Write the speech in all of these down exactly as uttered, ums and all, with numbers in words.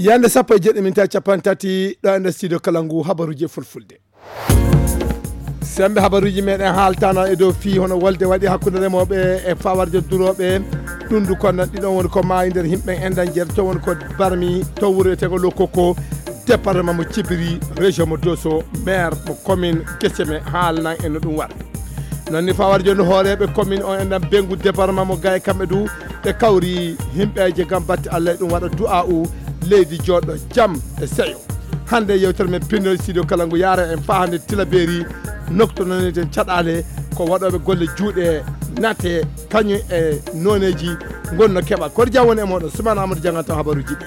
Yande sappo e jeɗɗi minti capanɗe tati ɗo e nder studio kala ngu habaruji e fulfulde. Sembe habaruji meɗen haaltana e dow fii hono wolde waɗi hakkunde remooɓe e fawarjo durooɓe. Ɗum du konnan ɗiɗon woni ko maayi nder himɓe enɗan jeetato woni ko barmi to wuro etego Lokoko, département mo Cibiri, région mo Doso, maire mo commune Geseme haalnan en no ɗum waɗa. Non ni fawarjo no hooreeɓe commune on enɗan Bengu département mo Gaye kamɓe du ɓe kawri himɓeeje ngam batte Allah e ɗum waɗa du'a'u leydi jooɗo jam e seyo. Hannde yewtere men pinnoy studio kala ngu yaara en faa hannde Tilaberi nokto naneten caɗaale ko waɗooɓe golle juuɗe nate kañum e nooneeji ngonno keɓa. Koɗo jam woni e mooɗon Suman Amadou jannganto habaruuji ɗi.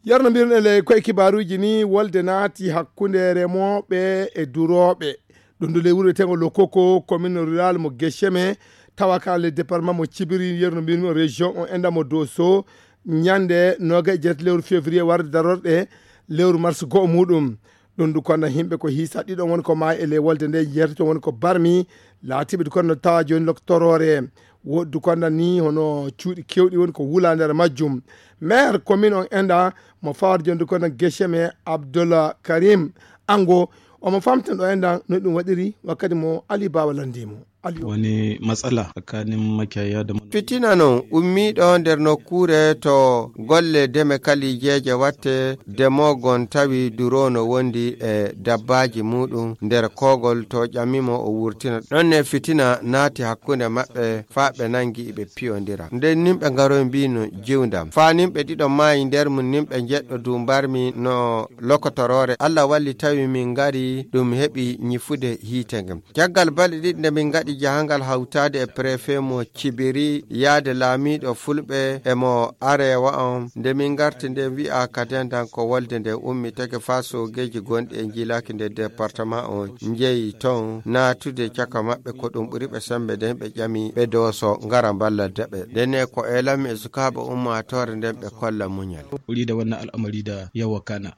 Yarno mbiɗon e ley koye kibaaruuji ni wolde naati hakkunde remooɓe e durooɓe. Ɗum ɗo ley wuro wiyeteego Lokoko, commune rurale mo Gecheme, tawa ka le département mo Cibiri, yerno mbimi o région o enda mo Doso, ñande noga e jeetati lewru février warde darorɗe lewru mars go'o muɗum. Ɗum du konda himɓe ko hiisa ɗiɗon woni ko maayi e ley wolde nde, jeetato woni ko barmi, laatiɓe du konda tawa joni lok toroore. Woɗdu konda ni hono cuuɗi kewɗi woni ko wula nder majjum. Maire commune on enda mo fawata joni du konda Gecheme, Abdullah Karim Ango, omo famten ɗo enda no ɗum waɗiri wakkati mo Ali Bawa landi mo. Ali o. Woni matsala tsakanin makiyaya da manoma. Fitina non ummiiɗo nder nokkuure to golle deme kalijeeje watte, demogon tawi duroono wondi e dabbaaji muɗum nder kogol to ƴamimo o wurtina. Ɗon ne fitina naati hakkunde maɓɓe faa ɓe nangi ɓe piyondira. Nden nimɓe ngaroy mbino jiwdam. Faa nimɓe ɗiɗo maayi nder mum nimɓe jeɗɗo du mbarmi no lokotoroore. Allah walli tawi min ngari ɗum heɓi ñifude hiite ngam. Caggal balɗe ɗiɗi nde min ngaɗi jahangal hawtaade e préfet mo Cibiri, yaade laamiiɗo Fulɓe e mo Arewa on, nde min ngarti nde wi'a kaden dan ko wolde nde ummitake faa soogeeji gonɗi e njiilaaki nder département on njeyi ton naatude caka maɓɓe ko ɗum ɓuri ɓe sembe nden ɓe ƴami ɓe Doso ngara mballada ɓe. Ndenne ko eelanmi e sukaaɓe ummaatoore nden ɓe kolla muñal. Wuri da wannan al'amari da ya wakana.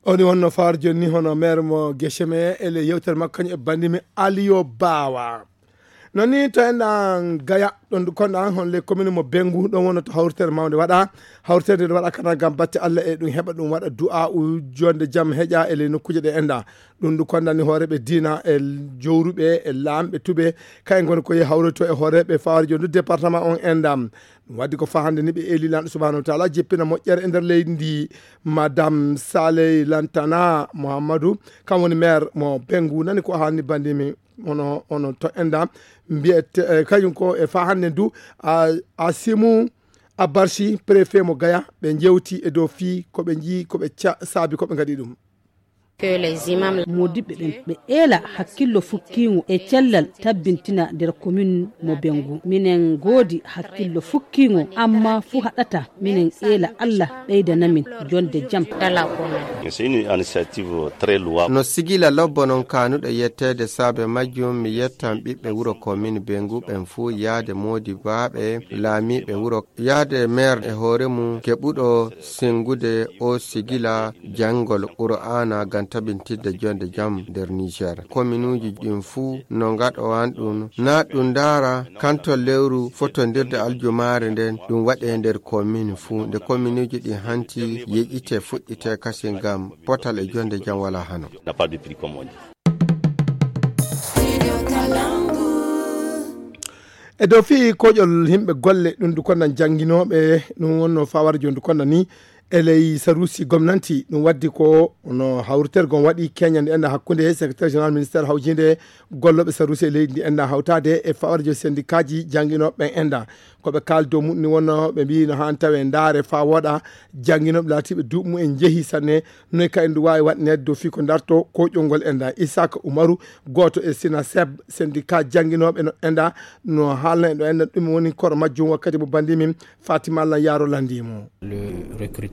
Oni wonno faar joni ni hono maire mo Gecheme e le yewtere makko kañum e bandimi Aliyo Bawa. Non ni to enɗan Gaya ɗon du konɗan hon le commune mo Bengu ɗon wonno to hawritere mawnde waɗa. Hawritere nde waɗa kana ngam batte Allah e ɗum heɓa ɗum waɗa du'a u jonde jam heƴa e le nokkuuje ɗe enɗa. Ɗum du konɗan ni hooreɓe diina e jowruɓe e laamɓe tuɓe kay ngoni ko ye hawroto e hooreɓe faar joni du département on enɗa. Ɗum waddi ko faa hannde ni ɓe eeli lanɗo subhanahu wa taala jippina moƴƴere e nder leydi ndi. Madame Saley Lantana Mouhammadou, kam woni maire mo Bengu, nani ko haalni bandimi, ono ono to enda mbiyete eh, kañum ko e faa hannde du a, Asimu Abarsi, préfet mo Gaya, ɓe jewti e dow fii ko ɓe njii ko ɓe ca- saabi ko ɓe ngaɗi ɗum. Modibɓe ɓen ɓe eela hakkillo fukkiingo e cellal tabbintina nder komin mo Bengu. Minen ngoodi hakkillo fukkiingo, amma fuu haɗata minen eela Allah ɓeydana min jonde jam. No sigila lobbo non kaanuɗo yetteede saabe majjum, mi yettan ɓiɓɓe wuro komin Bengu ɓen fuu, yaade moodibaaɓe laamiiɓe wuro, yaade meer e hoore mum keɓuɗo sengude o sigila janngol Qur'aana ngam tabintinde jonde jam nder Niger. Kominuuji ɗin fuu no ngaɗowan ɗum, na ɗum ndaara kanto lewru fotondirde aljumaare nden ɗum waɗe nder komini fuu. Nde kominuuji ɗin hanti yeƴite fuɗɗite kasi ngam potal e jonde jam wala hano. E dow fii koƴol himɓe golle ɗum du konnan jannginooɓe ɗum wonno fawar joni du konnan ni e ley sarusi gomnanti ɗum waddi ko no hawritergo on waɗi keñande enɗa hakkunde secrétaire général ministére hawjinde gollooɓe sarusi e leydi ndi enɗa hawtaade e fawarjo sendikaaji jannginooɓe ɓen enɗa. Ko ɓe kaali dow muɗum ni wonno ɓe mbiyi no haan tawe ndaare faa wooɗa jannginooɓe laatiiɓe duuɓi mum en njehi sanne. Noy ka en ndu waawi waɗineede dow fii ko ndarto koƴol ngol enɗa? Isaka Umaru, gooto e Sinaseb, sendika jannginooɓe no enɗa, no haalna en ɗo enɗa ɗum woni koro majjum wakkati mo banndi min Fatima Lan Yaaro lanndii mo.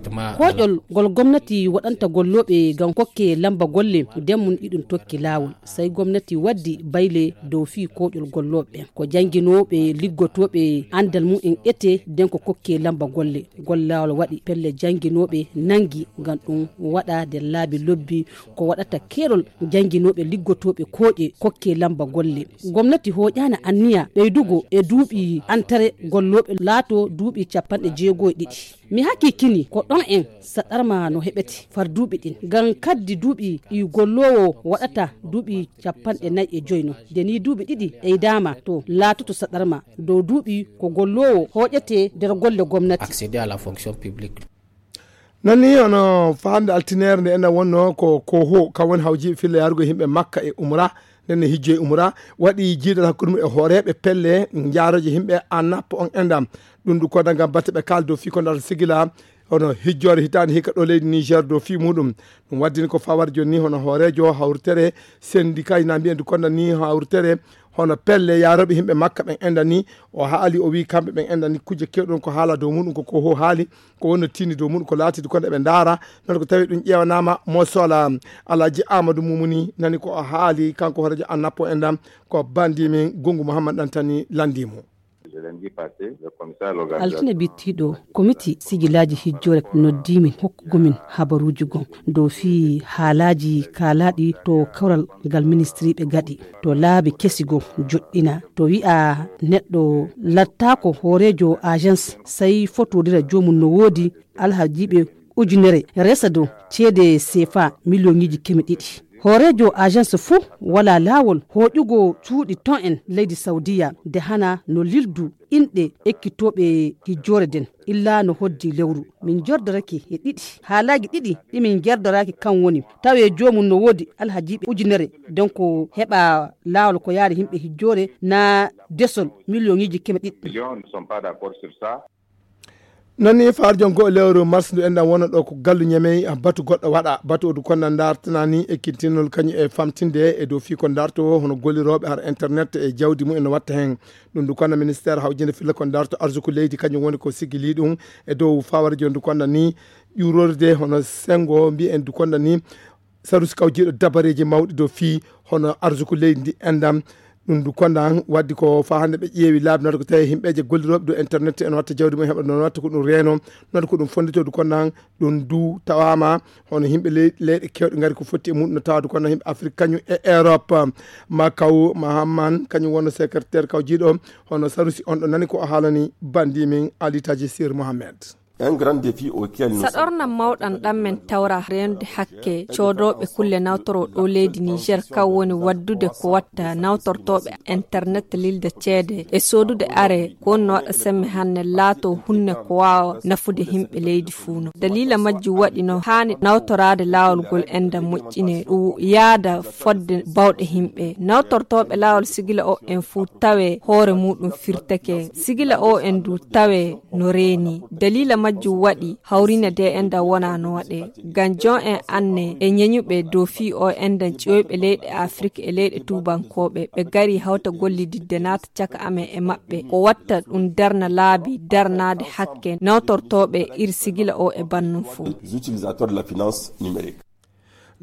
Koƴol ngol gomnati waɗanta gollooɓe ngam kokke lamba golle, nden mum iɗum tokki laawol. Sey gomnati waddi bayle dow fii koƴol gollooɓe ɓen. Ko jannginooɓe liggotooɓe anndal mum en ete, nden ko kokke lamba golle. Ngol laawol waɗi pelle jannginooɓe nangi ngam ɗum waɗa nder laabi lobbi ko waɗata keerol jannginooɓe liggotooɓe kooƴe kokke lamba golle. Gomnati hooƴaana anniya ɓeydugo e duuɓi antere gollooɓe laato duuɓi capanɗe jeego e ɗiɗi. Mi hakkikini ko ɗon en saɗarma no heɓete far duuɓi ɗin. Ngam kaddi duuɓi ɗi golloowo waɗata duuɓi capanɗe nayi e joy non. Nde ni duuɓi ɗiɗi ɓeydaama to laatoto saɗarma dow duuɓi ko golloowo hooƴete nder golle gomnati. Accéder à la fonction publique. Non ni hono faande altineere nde enen wonno ko koho kam woni hawjiiɓe filla yarugo yimɓe makka e umra. Nden ne hijjo e umra waɗi jiidal hakkunde mum e hooreeɓe pelle jaarooje yimɓe annappo on endam. Ɗum du koda ngam batte ɓe kaaldo fii ko ndar sigila hono hijjoore hitaande hikka ɗo leydi Niger dow fii muɗum. Ɗum waddini ko fawar joni ni hono hooreejo hawritere sendika ina mbiyen du konda ni hawritere hono pelle yaarooɓe yimɓe makka ɓen enda ni. O haali o wi kamɓe ɓen enda ni kujje kewɗon ko haala dow muɗum ko koho haali ko wonno tini dow muɗum ko laatidi kono eɓe ndaara. Non ko tawi ɗum ƴeewanaama mo sola. Alhaji Amadou Mumuni nani ko o haali kanko hooreejo annappo endam ko bandi min Gungu Mouhammad Dantani landimo. Altine bittiiɗo komiti sijilaaji hijjoore noddiimin hokkugomin habaruuji gon dow fii haalaaji kaalaaɗi to kawral ngal ministiriiɓe gaɗi to laabi kesi goo joɗɗina to wi'a neɗɗo lattaako hooreejo agence sey fotodira joomum no woodi alhajiiɓe ujunere resa dow ceede sefa miliyoŋiiji keme ɗiɗi. Hooreejo agence fuu walaa laawol hooƴugo cuuɗi ton en leydi Sawdiya nde hana no lildu inɗe ekkitooɓe hijjoore nden illa no hoddi lewru. Min njordorake e ɗiɗi haalaaji ɗiɗi ɗi min ngerdoraaki kan woni tawe joomum no woodi alhajiiɓe ujunere nden ko heɓa laawol ko yaari yimɓe hijjoore naa desol miliyoŋiiji keme ɗiɗi. Non ni faarjon goo e lewru mars ndu enɗan wona ɗo ko gallu ñamey batu goɗɗo waɗa batu odu konda dartanani e kintinol kañum e famtinde e dow fii ko darto hono gollirooɓe har internet e jawdi mum en watta heen. Ɗum ndu konda ministère hawjinde filla ko darto arsuku leydi kañum woni ko sigili ɗum e dow fawara jon ndu konda ni ƴuurorde hono sengo mbiyen ndu konda ni sarusi kawjiiɗo dabareeji mawɗi dow fii hono arsuku leydi ndi endam. Ɗum ndu konda waddi ko faa hannde ɓe ƴeewi laabi noon ko tawi yimɓeeje gollirooɓe dow internet en watta jawdi mum heɓa noon watta ko ɗum reeno noon ko ɗum fonndito ndu konda ɗum ndu tawaama hono yimɓe ley- leyɗe kewɗe ngari ko fotti e muɗum no tawa ndu konda yimɓe Afrique kañum e Europe. Ma kaw Mahamman kañum wonno secrétaire kawjiiɗo hono sarusi on ɗo nani ko o haalani bandi min Ali Taji Sir Mohamed. Un grand défi auquel nous saɗorna mawɗan ɗan men tawra reenude hakke coodooɓe kulle nawtoroo ɗo leydi Niger kan woni waddude ko watta nawtortooɓe internet lilde ceede e soodude are ko wonno waɗa semme hanne laato hunne ko waawa nafude yimɓe leydi fuu no daliila majjum waɗi no haani nawtoraade laawol ngol enda moƴƴine ɗum yaada fodde bawɗe yimɓe nawtortooɓe laawol sigila o en fuu tawe hoore muɗum firteke sigila o en du tawe no reeni daliila majjum waɗi hawrine de enɗan wona no waɗe ngam jon en anne e ñeñuɓe dow fii o enɗan ƴiwoyɓe leyɗe afrik e leyɗe tuubankooɓe ɓe gari hawta gollididde naata caka amen e maɓɓe ko watta ɗum darna laabi darnaade hakke nawtortooɓe ir sigila o e bannum fof. Les utilisateurs de la finance numérique.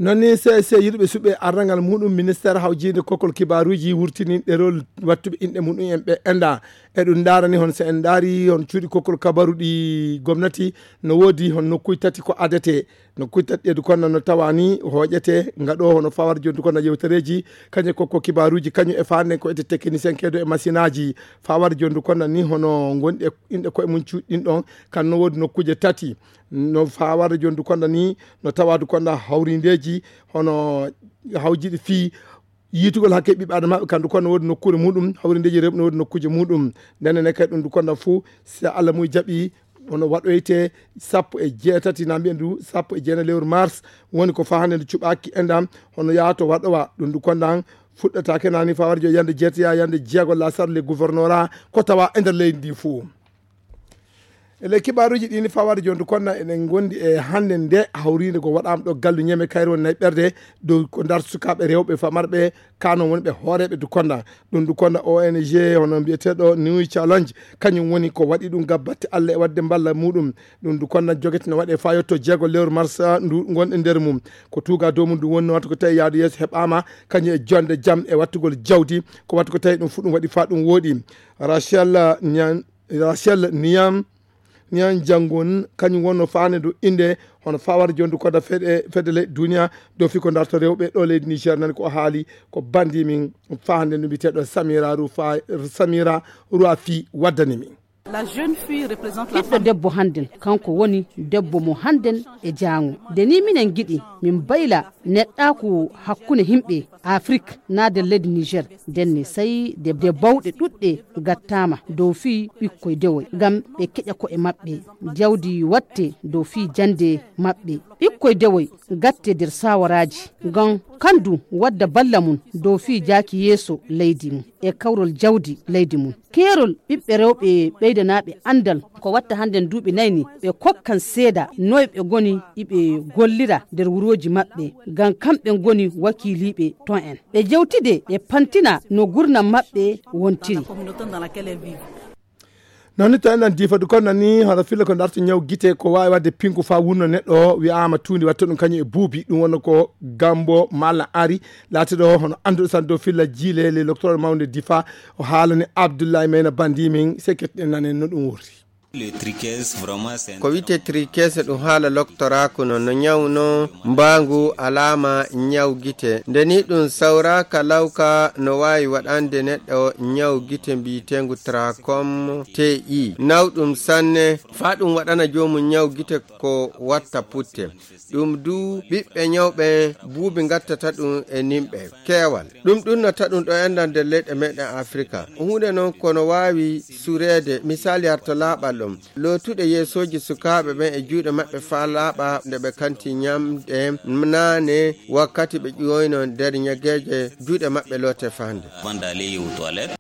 Non ni C S C yiɗuɓe suɓe arrangal muɗum ministère hawjinde kokkol kibaruji wurtini ɗerol wattuɓe inɗe muɗum en ɓe enda e ɗum darani hon so en daari hon cuuɗi kokkol kabaru ɗi gomnati no woodi hon nokkuji tati ko adete nokkuji tati ɗeedu konno no tawani hooƴete ngaɗo hono fawar jondu konno yewtereji kañum kokko kibaruji kañum e fande ko ete technicien keedo e machine aji fawar jondu konno ni hono gonɗi e inɗe koye mum cuuɗi ɗin ɗon kan no woodi nokkuje tati no fawar jondu konno ni no tawadu konno hawrindeji hono hawjiɗi fii yiytugol hakke ɓiɓɓe adamaaɓe kamɓe kono woodi nokkuure muɗum hawrindeeji rewɓe no woodi nokkuuje muɗum ndenen e kadi ɗum ndu konda fof si allah muy jaɓi hono waɗoyte sappo e jeetati na mbiyen ndu sappo e jeenayi lewru mars woni ko faa hannde ndu cuɓaaki endam hono yaato waɗowa ɗum ndu kondan fuɗɗataake nani faa warjo yande jeetaya yande jeego la sarle gouvernorat ko tawa e nder leydi ndi fof. E ley kibaaruuji ɗi ni fawaade jooni Dukonda, eɗen ngondi e hannde nde hawriinde ko waɗaama ɗo Gallu Ñeme, Kayre woni nayi ɓerde dow ko ndarta sukaaɓe rewɓe famarɓe, kano woni ɓe hooreeɓe Dukonda. Ɗum Dukonda O N G hono mbiyeteeɗo New Challenge, kañum woni ko waɗi ɗum gam batte Allah e waɗde mballa muɗum. Ɗum Dukonda jogete no waɗe faa yotto jeego lewru marsa ndu ngonɗe nder mum. Ko tuuga dow mum ɗum woni no watta ko tawi yaadu yeeso heɓaama, kañum e jonde jam e wattugol jawdi, ko watta ko tawi ɗum fu ɗum waɗi faa ɗum wooɗi. Rachel Nyan Rachel Niyam, Niyam Jangon, kañum wonno faande ndu innde hono fawaade jondu koda fedde, fedde leyɗe duniya dow fii ko darto rewɓe ɗo leydi Niger. Nani ko haali ko bandi min faande ndu biteɗo Samira Rufa, Samira Ruafi waddani min. La jeune fille représente la ɓiɗɗo femme. Debbo hannden, kanko woni debbo mo hannden e jaango. Nde ni minen ngiɗi min bayla neɗɗaaku hakkunde yimɓe Afrik naa nder leydi Niger. Ndenne sayi de, de bawɗe ɗuɗɗe gattaama dow fii ɓikkoy dewoy, ngam ɓe keƴa ko'e maɓɓe. Jawdi watte dow fii jannde maɓɓe. Ɓikkoy dewoy gatte nder saawaraaji, ngam kandu wadda balla mum dow fii jaaki yeeso leydi mum e kawrol jawdi leydi mum. Keerol ɓiɓɓe rewɓe ɓeydanaaɓe anndal ko watta hannden duuɓi nayi ni, ɓe kokkan seeda noy ɓe ngoni iɓe gollira nder wurooji maɓɓe, ngam kamɓe ngoni wakiiliiɓe ton en. Ɓe jewtide, ɓe pantina no gurnam maɓɓe wontiri. Noon ni to enɗan diifadu kon nani hono filla ko darto ñaw gite ko waawi waɗde pingu faa wunno neɗɗo o, wiyaama tuundi watta ɗum kañum e buubi. Ɗum wonno ko Gambo Mala Ari, laatiɗo hono annduɗo tan dow filla jiileele, loktoral mawnde difa. O haalani Abdoulaye Mayna Bandi min, sekketɗen nanen no ɗum wurti. Le tricase, vraiment, c'est un ko wiyetee tricase ɗum haala loktoraaku no, no ñaw no mbaangu alaama ñaw gite. Nde ni ɗum sawraaka lawka no waawi waɗande neɗɗo ñaw gite mbiyeteengu tracom T I. Nawɗum sanne, faa ɗum waɗana joomum ñaw gite ko watta putte. Ɗum du ɓiɓɓe ñawɓe buubi ngattata ɗum e nimɓe keewal. Ɗum ɗunnata ɗum ɗo enɗan nder leyɗe meɗen Afrika. Huunde noon kono waawi sureede, misali harto laaɓal ɗum. Lootuɗe yeesooji sukaaɓe ɓen e juuɗe maɓɓe faa laaɓa nde ɓe kanti ñamɗe naane wakkati ɓe ƴuwoyno nder ñageeje juuɗe maɓɓe loote faa nde. Avant d'aller aux toilettes.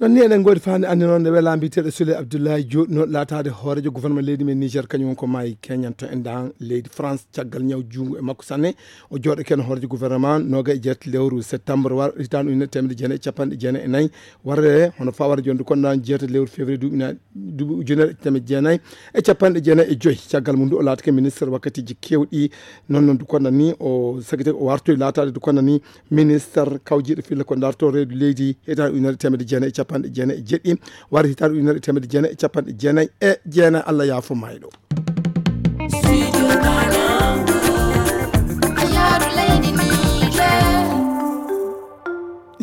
Noon ni eɗen ngoodi faande anndi noon nde welaa mbiyeteeɗo Sule Abdoulaye Diop no laataade hooreejo gouvernement leydi men Niger, kañum woni ko maayi keñanto en dan leydi France caggal ñaw juungu e makko sanne. O jooɗo ken hooreejo gouvernement nooga e jeetati lewru septembre war hitaande ujunere teemedde jeenayi e capanɗe jeenayi e nayi. Warre hono fawara jonde kon dan jeetati lewru février duuɓi na-, duuɓi ujunere e teemedde jeenayi e capanɗe jeenayi e joyi. Caggal mum du o laatake ministre wakkatiiji keewɗi. Noon noon du kon ni o sagite o wartoy laataade du kon ni ministre kawjiiɗo filla ko darto reedu leydi hitaande ujunere teemedde jeenayi e capanɗe jeenayi e jeɗɗi, wari hitaande ujunere teemedde jeenayi e capanɗe jeenayi e jeenayi. Allah yaafo mayɗo.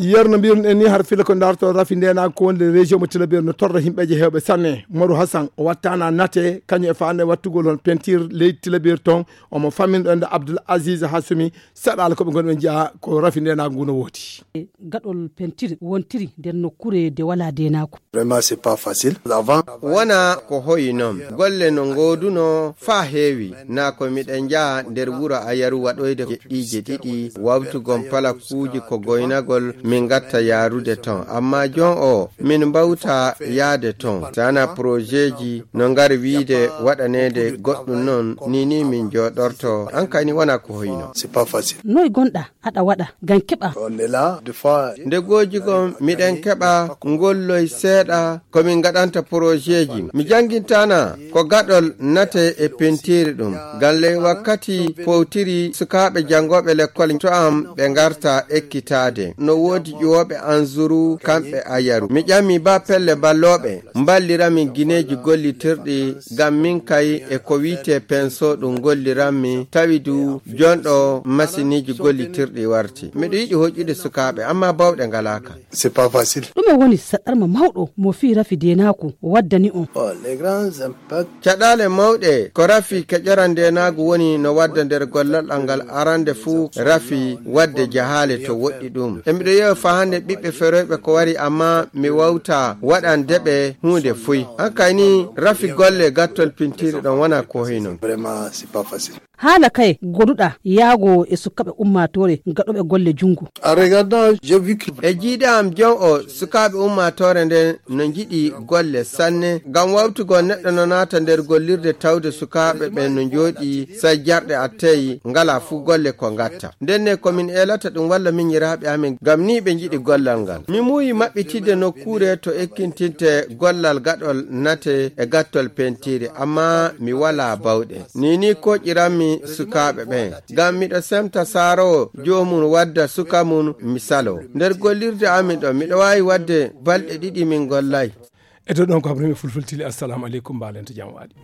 Yeru no mbiiruɗen ni har filla ko darto rafi ndenaagu ko wonde région mo Tilaberi no torra yimɓeeje heewɓe sanne. Moru Hassan o wattana nate kañum e faande wattugol hon peinture leydi Tilaberi ton. Omo famminɗo ende Abdoul Aziz Hassoumi. Saɗaala ko ɓe ngoni ɓe njiya ko rafi ndenaagu ngu no woodi. Gaɗol pentiri wontiri nder nokkuure de wala denaaku. Vraiment, c'est pas facile. Avant, wona ko hoyi noon. Golle no ngooduno faa heewi. Na ko miɗen njaha nder wuro Ayaru waɗoyde jeɗɗiije ɗiɗi, wawtugon palakuuji ko goynagol, min ngatta yaarude ton. Amma jon o, min mbawta yaade ton. Sana projetji no ngari wiide waɗaneede goɗɗum noon, ni ni min jooɗorto. An kayni wona ko hoyno. C'est pas facile. Noy gonɗa aɗa waɗa ngam keɓa? On est là, des fois. Nde gooji gom, miɗen keɓa ngolloy seeɗa ko min ngaɗanta projetji. Mi janngintana ko gaɗol nate e pentiiri ɗum. Ngam ley wakkati powtiri sukaaɓe janngooɓe lekkol to am ɓe ngarta ekkitaade. No woodi ƴuwooɓe anzuru kamɓe Ayaru. Mi ƴami ba pelle ballooɓe mballiramin gineeji gollitirɗi ngam min kay e ko wi'etee penso ɗum golliranmi, tawi du jonɗo masiniiji gollitirɗi warti. Miɗo yiɗi hoƴƴude sukaaɓe, amma bawɗe ngalaaka. C'est pas facile. Ɗume woni saɗɗarma mawɗo mo fii rafi deenaaku waddani on? Oh, les grands impacts. Caɗaale mawɗe ko rafi keƴoran ndeenaagu woni no wadda nder gollal ngal arande fuu rafi wadde jahaale to woɗɗi ɗum. E miɗo yewa faa hannde ɓiɓɓe feroyɓe ko wari, amma mi wawta waɗande ɓe huunde fuy. Hankay ni rafi golle gattol pintiri ɗon wona ko hoyno. Vraiment, c'est pas facile. Haala kaye goduɗa yaago e sukaaɓe ummaatoore gaɗooɓe golle junngo? En regardant, j'ai vu que e jiiɗe am jon o, sukaaɓe ummaatoore nden no njiɗi golle sanne, ngam wawtugol neɗɗo no naata nder gollirde tawde sukaaɓe ɓen no njooɗi, say jarɗe attey, ngala fuu golle ko ngatta. Nden ne ko min eelata ɗum walla minyiraaɓe amin, ngam ni ɓe njiɗi gollal ngal. Mi muuyi maɓɓitidde nokkuure to ekkintinte gollal gaɗol nate e gattol pentiire, amma mi walaa bawɗe. Ni ni koƴiranmi sukaaɓe ɓen, ngam miɗo semta saaroowo joomum wadda suka mum mi saloo. Nder gollirde amin ɗon, miɗo waawi wadde balɗe ɗiɗi min gollay. E dow ɗon ko habrimi fulfultili. Assalamu aleykum, mbaalento jam waɗi.